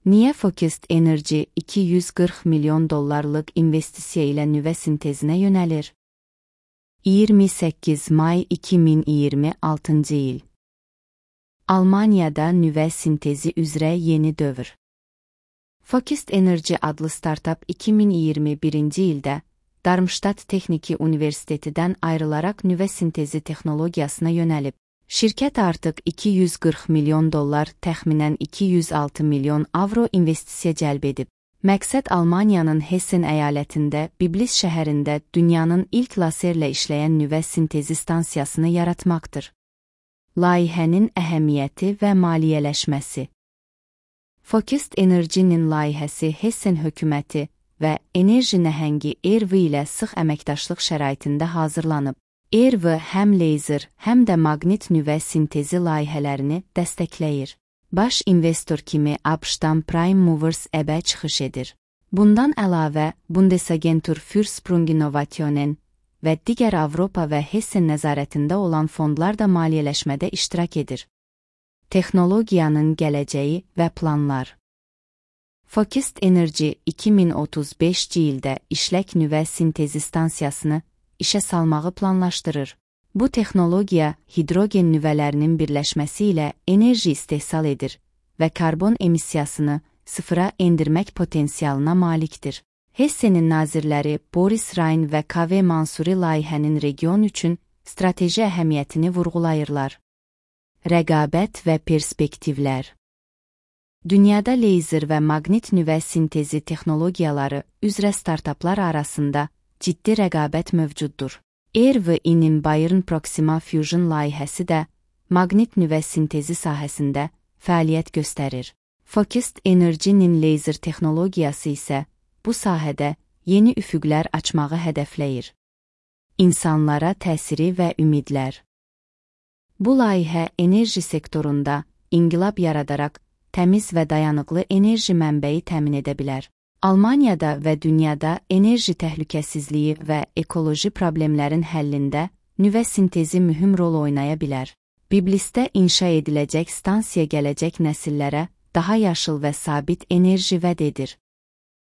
Niyə Focused Energy $240 milyon investisiya ilə nüvə sintezinə yönəlir? 28 may 2026 il. Almaniyada nüvə sintezi üzrə yeni dövr. Focused Energy adlı startap 2021-ci ildə Darmstadt Texniki Universitetidən ayrılaraq nüvə sintezi texnologiyasına yönəlib. Şirkət artıq $240 milyon, təxminən 206 milyon avro investisiya cəlb edib. Məqsəd Almaniyanın Hessen əyalətində Biblis şəhərində dünyanın ilk laserlə işləyən nüvə sintezi stansiyasını yaratmaqdır. Layihənin əhəmiyyəti və maliyyələşməsi. Focused Energy-nin layihəsi Hessen hökuməti və enerji nəhəngi ERV ilə sıx əməkdaşlıq şəraitində hazırlanıb. ERV həm laser, həm də maqnit nüvə sintezi layihələrini dəstəkləyir. Baş investor kimi ABŞ-dan Prime Movers EBE çıxış edir. Bundan əlavə, Bundesagentur für Sprunginnovationen və digər Avropa və Hessen nəzarətində olan fondlar da maliyyələşmədə iştirak edir. Texnologiyanın gələcəyi və planlar. Focused Energy 2035-ci ildə işlək nüvə sintezi stansiyasını işə salmağı planlaşdırır. Bu texnologiya hidrogen nüvələrinin birləşməsi ilə enerji istehsal edir və karbon emissiyasını sıfıra endirmək potensialına malikdir. Hessenin nazirləri Boris Rhein və KV Mansuri layihənin region üçün strateji əhəmiyyətini vurğulayırlar. Rəqabət və perspektivlər. Dünyada laser və maqnit nüvə sintezi texnologiyaları üzrə startaplar arasında ciddi rəqabət mövcuddur. ERV-nin Bayern Proxima Fusion layihəsi də maqnit nüvə sintezi sahəsində fəaliyyət göstərir. Focused Energy-nin laser texnologiyası isə bu sahədə yeni üfüqlər açmağı hədəfləyir. İnsanlara təsiri və ümidlər. Bu layihə enerji sektorunda inqilab yaradaraq təmiz və dayanıqlı enerji mənbəyi təmin edə bilər. Almaniyada və dünyada enerji təhlükəsizliyi və ekoloji problemlərin həllində nüvə sintezi mühüm rol oynaya bilər. Biblisdə inşa ediləcək stansiya gələcək nəsillərə daha yaşıl və sabit enerji vəd edir.